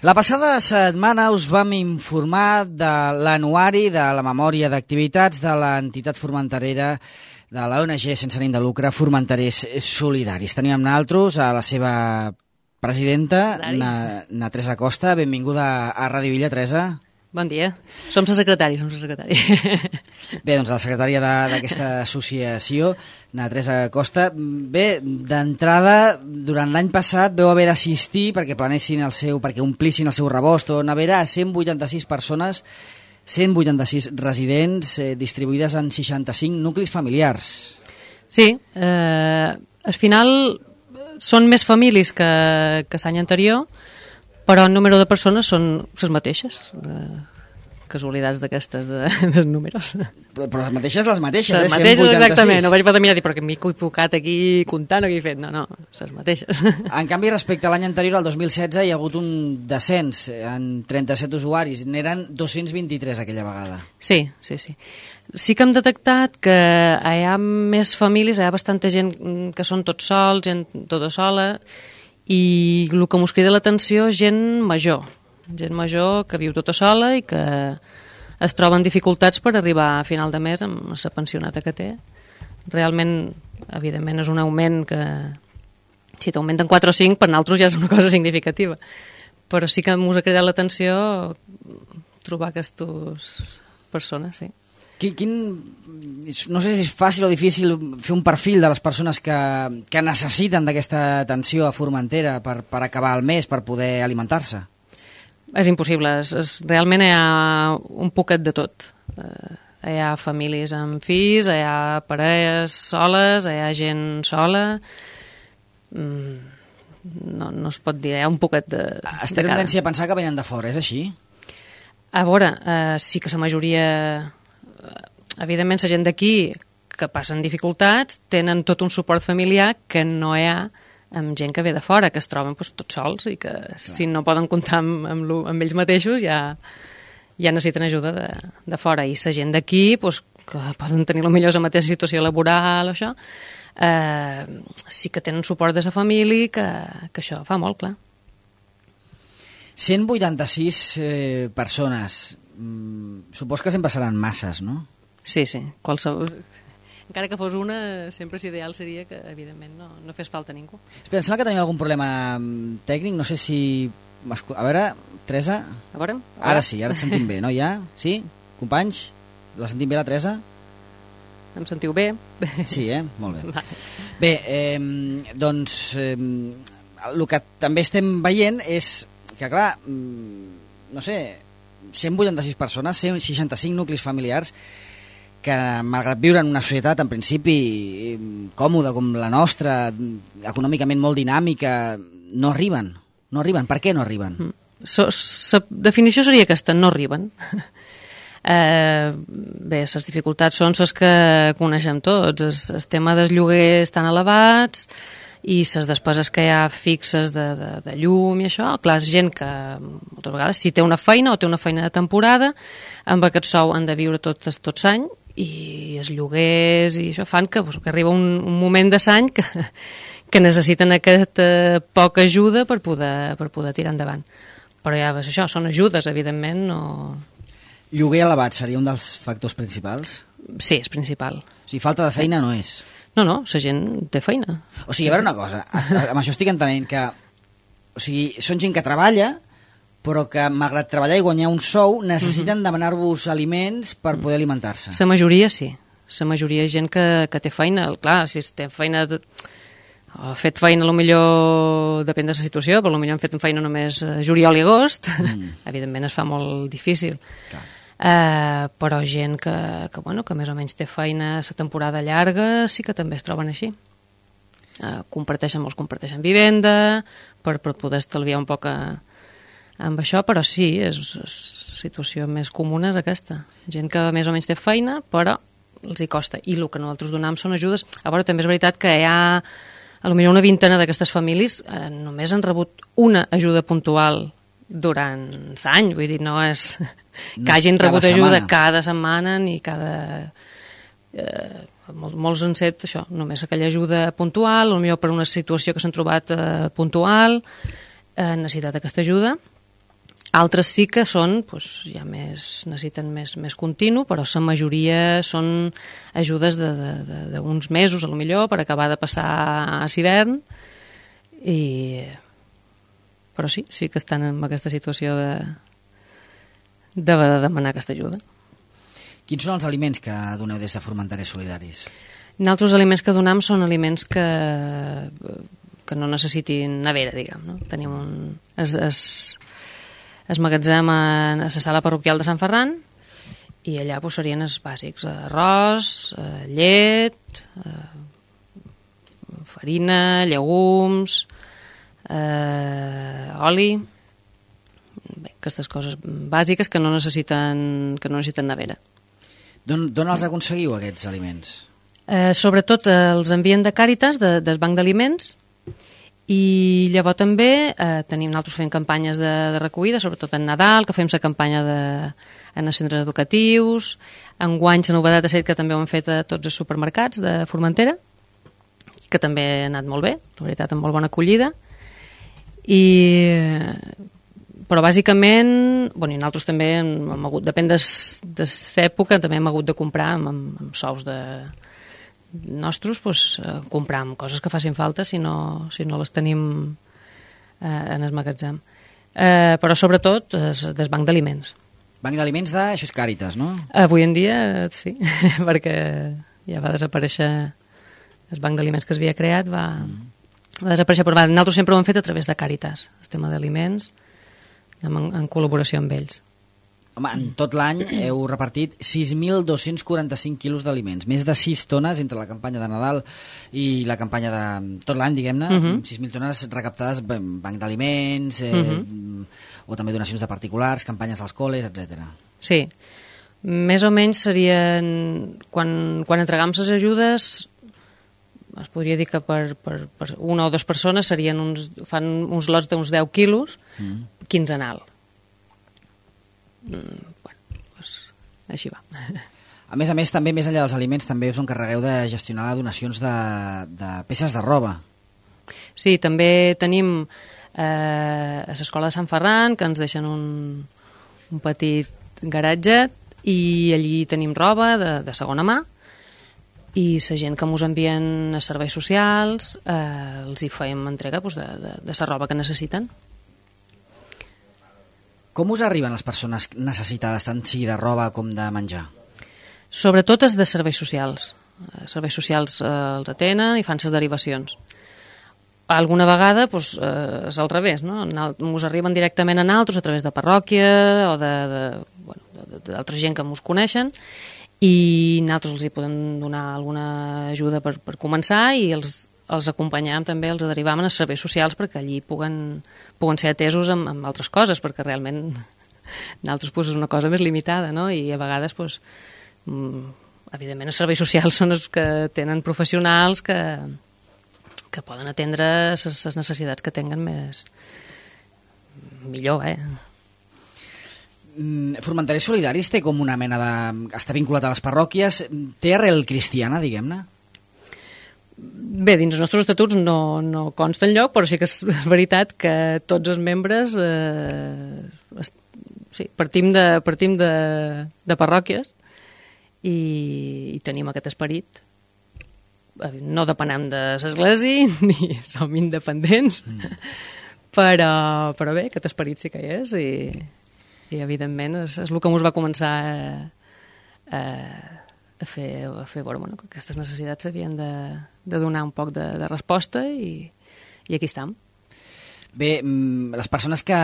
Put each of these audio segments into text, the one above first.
La passada setmana us vam informar de l'anuari de la memòria d'activitats de l'entitat formenterera de l'ONG sense ànim de lucre, Formenterers Solidaris. Tenim amb nosaltres a la seva presidenta, na Teresa Costa. Benvinguda a Ràdio Villa, Teresa. Bon dia. Som la secretària, Bé, doncs la secretària d'aquesta associació, na Teresa Costa. Bé, d'entrada, durant l'any passat veu haver d'assistir perquè omplissin el seu rebost o nevera a 186 persones, 186 residents distribuïdes en 65 nuclis familiars. Sí, al final són més famílies que l'any anterior, però el número de persones són les mateixes, casualitats d'aquestes dels números. Però les mateixes, les mateixes. Les mateixes, exactament. No vaig poder mirar dir, però que m'he equivocat aquí comptant o què he fet. No, les mateixes. En canvi, respecte a l'any anterior, al 2016, hi ha hagut un descens en 37 usuaris. N'eren 223 aquella vegada. Sí. Sí que hem detectat que hi ha més famílies, hi ha bastanta gent que són tots sols, gent tota sola, i el que mos crida l'atenció és gent major que viu tota sola i que es troba en dificultats per arribar a final de mes amb la pensionata que té. Realment, evidentment, és un augment que si t'augmenten 4 o 5 per nosaltres ja és una cosa significativa, però sí que mos ha cridat l'atenció trobar aquestes persones, sí. No sé si és fàcil o difícil fer un perfil de les persones que necessiten d'aquesta atenció a Formentera per acabar el mes, per poder alimentar-se. És impossible. Realment hi ha un poquet de tot. Hi ha famílies amb fills, hi ha parelles soles, hi ha gent sola. No es pot dir, hi ha un poquet de Es té tendència a pensar que venen de fora, és així? A veure, sí que la majoria... Evidentment, la gent d'aquí que passen dificultats tenen tot un suport familiar que no hi ha amb gent que ve de fora, que es troben tots sols i que si no poden comptar amb ells mateixos ja necessiten ajuda de fora. I la gent d'aquí, que poden tenir potser la mateixa situació laboral o això, sí que tenen suport de la família, que això fa molt clar. 186 persones. Supos que sempre seran masses, no? Sí, qualsevol... Encara que fos una, sempre l'ideal seria que, evidentment, no fes falta a ningú. Espera, em sembla que tenim algun problema tècnic, no sé si... A veure, Teresa... A veure? Ara sí, ara et sentim bé, no? Ja? Sí? Companys? La sentim bé, la Teresa? Em sentiu bé? Sí, molt bé. Bé, doncs, el que també estem veient és que, clar, no sé, 186 persones, 165 nuclis familiars, que malgrat viure en una societat en principi còmoda com la nostra, econòmicament molt dinàmica, no arriben. Per què no arriben? La definició seria aquesta, no arriben. Bé, les dificultats són les que coneixem tots. El tema dels lloguers tan elevats i les despeses que hi ha fixes de llum i això. Clar, és gent que moltes vegades si té una feina o té una feina de temporada, amb aquest sou han de viure tot l'any i els lloguers i això fan que arriba un moment de l'any que necessiten aquesta poca ajuda per poder tirar endavant. Però ja és això, són ajudes, evidentment. No... Lloguer elevat seria un dels factors principals? Sí, és principal. O sigui, falta de feina no és? No, la gent té feina. O sigui, a veure una cosa, amb això estic entenent que són gent que treballa, però que, malgrat treballar i guanyar un sou, necessiten demanar-vos aliments per poder alimentar-se. La majoria sí. La majoria és gent que té feina. Clar, si té feina... Ha fet feina, potser depèn de la situació, però potser han fet feina només juliol i agost. Evidentment es fa molt difícil. Però gent que més o menys té feina a la temporada llarga sí que també es troben així. Molts comparteixen vivenda per poder estalviar un poc amb això, però sí, és la situació més comuna és aquesta. Gent que més o menys té feina, però els hi costa. I el que nosaltres donem són ajudes. A veure, també és veritat que hi ha potser una vintena d'aquestes famílies només han rebut una ajuda puntual durant l'any. Vull dir, no és que hagin rebut ajuda cada setmana ni cada... Molts han set això, només aquella ajuda puntual, potser per una situació que s'han trobat puntual, han necessitat aquesta ajuda. Altres sí que són, ja necessiten més continu, però la majoria són ajudes d'uns mesos, a lo millor, per acabar de passar a l'hivern, però sí que estan en aquesta situació de demanar aquesta ajuda. Quins són els aliments que doneu des de Formenterers Solidaris? Nosaltres aliments que donem són aliments que no necessitin nevera, diguem, no? Tenim es magatzem a la sala parroquial de Sant Ferran i allà serien els bàsics: arròs, llet, farina, llegums, oli, aquestes coses bàsiques que no necessiten nevera. D'on els aconseguiu, aquests aliments? Sobretot els envien de Càritas, del Banc d'Aliments, i llavors també nosaltres fem campanyes de recollida, sobretot en Nadal, que fem la campanya en els centres educatius. Enguany la novetat ha estat que també ho hem fet a tots els supermercats de Formentera, que també ha anat molt bé, la veritat, amb molt bona acollida. Però bàsicament, i nosaltres també hem hagut, depèn de l'època, també hem hagut de comprar amb sous nostres, comprar coses que facin falta si no les tenim en el magatzem. Però sobretot del Banc d'Aliments. Banc d'Aliments això és Càritas, no? Avui en dia sí, perquè ja va desaparèixer el Banc d'Aliments que s'havia creat, va desaparèixer, però nosaltres sempre ho hem fet a través de Càritas, el tema d'aliments, en col·laboració amb ells. Home, en tot l'any heu repartit 6.245 quilos d'aliments, més de 6 tones entre la campanya de Nadal i la campanya de tot l'any, diguem-ne, 6.000 tones recaptades Banc d'Aliments, o també donacions de particulars, campanyes als col·les, etc. Sí, més o menys serien, quan entregam les ajudes, es podria dir que per una o dues persones fan uns lots d'uns 10 quilos, quinzenal. Així va. A més, també, més enllà dels aliments, també us encarregueu de gestionar les donacions de peces de roba. Sí, també tenim a l'escola de Sant Ferran, que ens deixen un petit garatget, i allí tenim roba de segona mà, i la gent que ens envien a serveis socials els hi fem entrega de la roba que necessiten. Com us arriben les persones necessitades, tant sigui de roba com de menjar? Sobretot és de serveis socials. Els serveis socials els atenen i fan les derivacions. Alguna vegada és al revés, no? Ens arriben directament a nosaltres a través de parròquia o d'altra gent que ens coneixen, i nosaltres els hi podem donar alguna ajuda per començar, i els acompanyam també, els derivam a serveis socials perquè allí puguen ser atesos amb altres coses, perquè realment nosaltres és una cosa més limitada, no? I a vegades evidentment els serveis socials són els que tenen professionals que poden atendre les necessitats que tinguen millor. Formenterers Solidaris té com una mena de... està vinculat a les parròquies, té arrel cristiana, diguem-ne? Bé, dins els nostres estatuts no consta enlloc, però sí que és veritat que tots els membres partim de parròquies i tenim aquest esperit. No depenem de l'església ni som independents, però bé, aquest esperit sí que hi és, i evidentment és el que ens va començar a fer veure que aquestes necessitats havien de donar un poc de resposta, i aquí estem. Bé, les persones que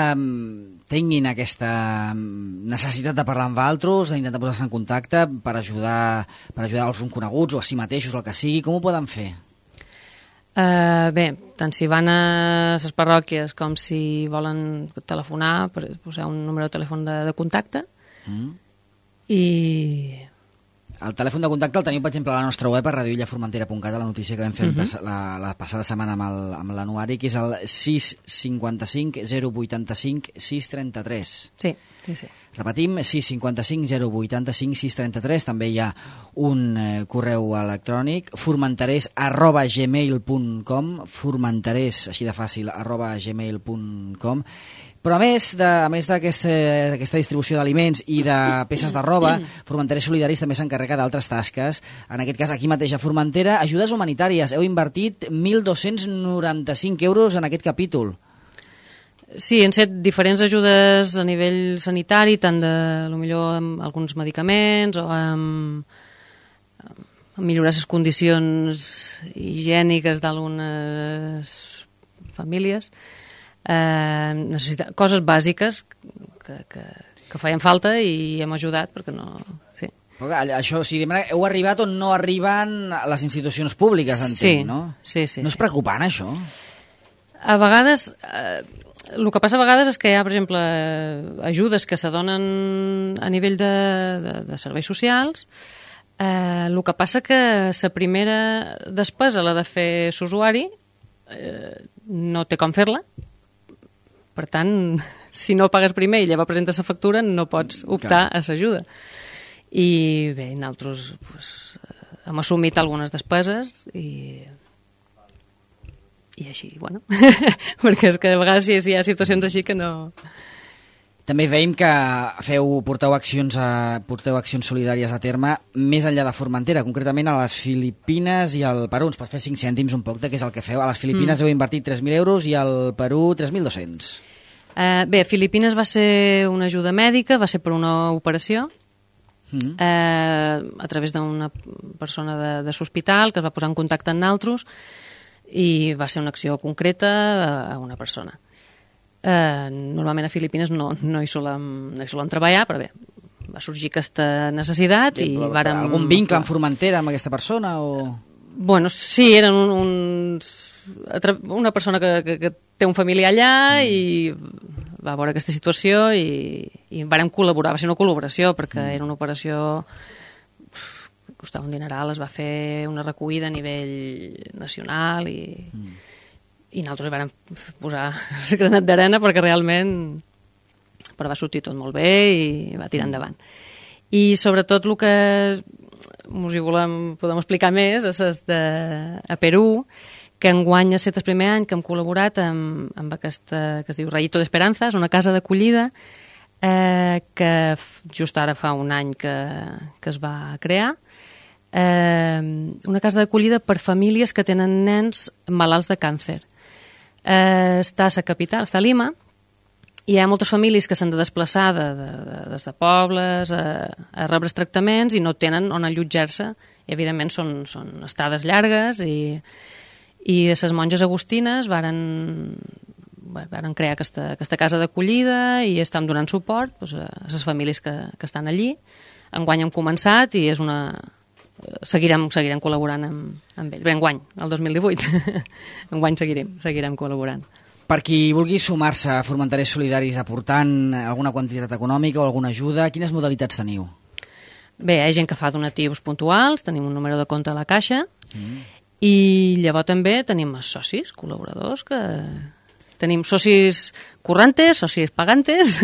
tinguin aquesta necessitat de parlar amb altres, d'intentar posar-se en contacte per ajudar els coneguts o a si mateixos, el que sigui, com ho poden fer? Bé, tant si van a les parròquies com si volen telefonar, posar un número de telèfon de contacte, i... El telèfon de contacte el teniu, per exemple, a la nostra web, a radioillaformentera.cat, a la notícia que vam fer la passada setmana amb l'anuari, que és el 655 085 633. Sí. Repetim, 655 085 633. També hi ha un correu electrònic, formenterers@gmail.com, formenterers, així de fàcil, @gmail.com. Però a més d'aquesta distribució d'aliments i de peces de roba, Formenteres Solidaris també s'encarrega d'altres tasques. En aquest cas, aquí mateix a Formentera, ajudes humanitàries. Heu invertit 1.295 euros en aquest capítol. Sí, han set diferents ajudes a nivell sanitari, tant de, potser amb alguns medicaments o amb millorar les condicions higièniques d'algunes famílies. Coses bàsiques que feien falta i hem ajudat perquè no... Sí. Això, si heu arribat on no arriben les institucions públiques, entenc, no? Sí. No és preocupant, això? A vegades... el que passa a vegades és que hi ha, per exemple, ajudes que s'adonen a nivell de serveis socials. El que passa que la primera despesa, la de fer l'usuari, no té com fer-la. Per tant, si no pagues primer i llavors presentes la factura, no pots optar a l'ajuda. I bé, nosaltres hem assumit algunes despeses i així, bueno, perquè és que a vegades hi ha situacions així que no... També veiem que porteu accions solidàries a terme més enllà de Formentera, concretament a les Filipines i al Perú. Ens pots fer 5 cèntims un poc de què és el que feu? A les Filipines heu invertit 3.000 euros i al Perú 3.200. Bé, a Filipines va ser una ajuda mèdica, va ser per una operació a través d'una persona de l'hospital que es va posar en contacte amb nosaltres i va ser una acció concreta a una persona. Normalment a Filipines no hi solem treballar, però bé, va sorgir aquesta necessitat i vàrem... Algun vincle amb Formentera amb aquesta persona? Bueno, sí, eren una persona que té un familiar allà i va veure aquesta situació i vàrem col·laborar. Va ser una col·laboració perquè era una operació que costava un dineral, es va fer una recollida a nivell nacional i nosaltres vam posar el granet d'arena perquè realment va sortir tot molt bé i va tirar endavant. I sobretot el que us hi podem explicar més és a Perú, que enguany ha estat el primer any que hem col·laborat amb aquesta que es diu Rayito de Esperanza, és una casa d'acollida que just ara fa un any que es va crear, una casa d'acollida per famílies que tenen nens malalts de càncer. Està a la capital, està a Lima, i hi ha moltes famílies que s'han de desplaçar des de pobles a rebre tractaments i no tenen on allotjar-se. I, evidentment, són estades llargues i les monges agustines varen crear aquesta casa d'acollida i estan donant suport a les famílies que estan allí. Enguany hem començat i és una... Seguirem col·laborant amb ells. Bé, enguany, el 2018. Enguany seguirem col·laborant. Per qui vulgui sumar-se a Formenteres Solidaris aportant alguna quantitat econòmica o alguna ajuda, quines modalitats teniu? Bé, hi ha gent que fa donatius puntuals, tenim un número de compte a la caixa i llavors també tenim els socis, col·laboradors, que tenim socis currantes, socis pagantes,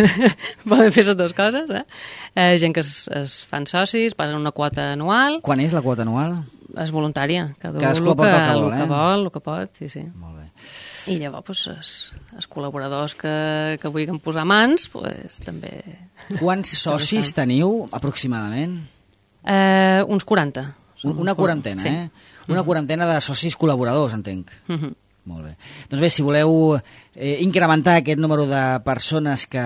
poden fer les dues coses, gent que es fan socis, paguen una quota anual. Quan és la quota anual? És voluntària, cadascú aporta el que vol, el que pot, sí. Molt bé. I llavors els col·laboradors que vulguin posar mans, també... Quants socis teniu, aproximadament? Uns 40. Una quarantena, sí. Una quarantena de socis col·laboradors, entenc. Molt bé. Doncs bé, si voleu incrementar aquest número de persones que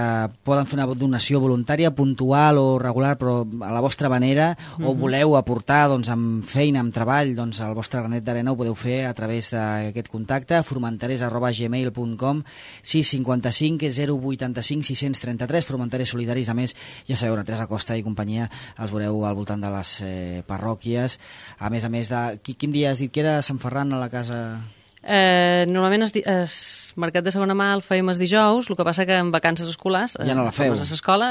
poden fer una donació voluntària, puntual o regular, però a la vostra manera, o voleu aportar amb feina, amb treball, el vostre granet d'arena ho podeu fer a través d'aquest contacte, formenteres@gmail.com, 655 085 633, Formenteres Solidaris. A més, ja sabeu, Teresa Costa i companyia els veureu al voltant de les parròquies. A més, quin dia has dit que era Sant Ferran a la casa... Normalment el mercat de segona mà el fèiem els dijous, el que passa que en vacances escolars ja no la feu. A l'escola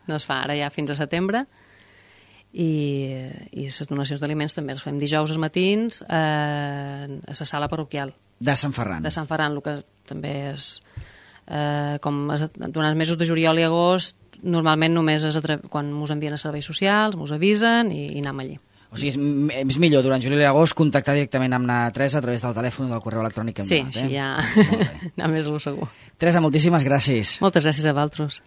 no es fa, ara ja fins a setembre i les donacions d'aliments també les fem dijous als matins a la sala parroquial de Sant Ferran. De Sant Ferran, el que també és durant els mesos de juliol i agost normalment només és quan ens envien a serveis socials, ens avisen i anem allí. O O sigui, és millor durant juliol i agost contactar directament amb la Teresa a través del telèfon o del correu electrònic que hem Sí, donat. així ja anar més segur. Teresa, moltíssimes gràcies. Moltes gràcies a vosaltres.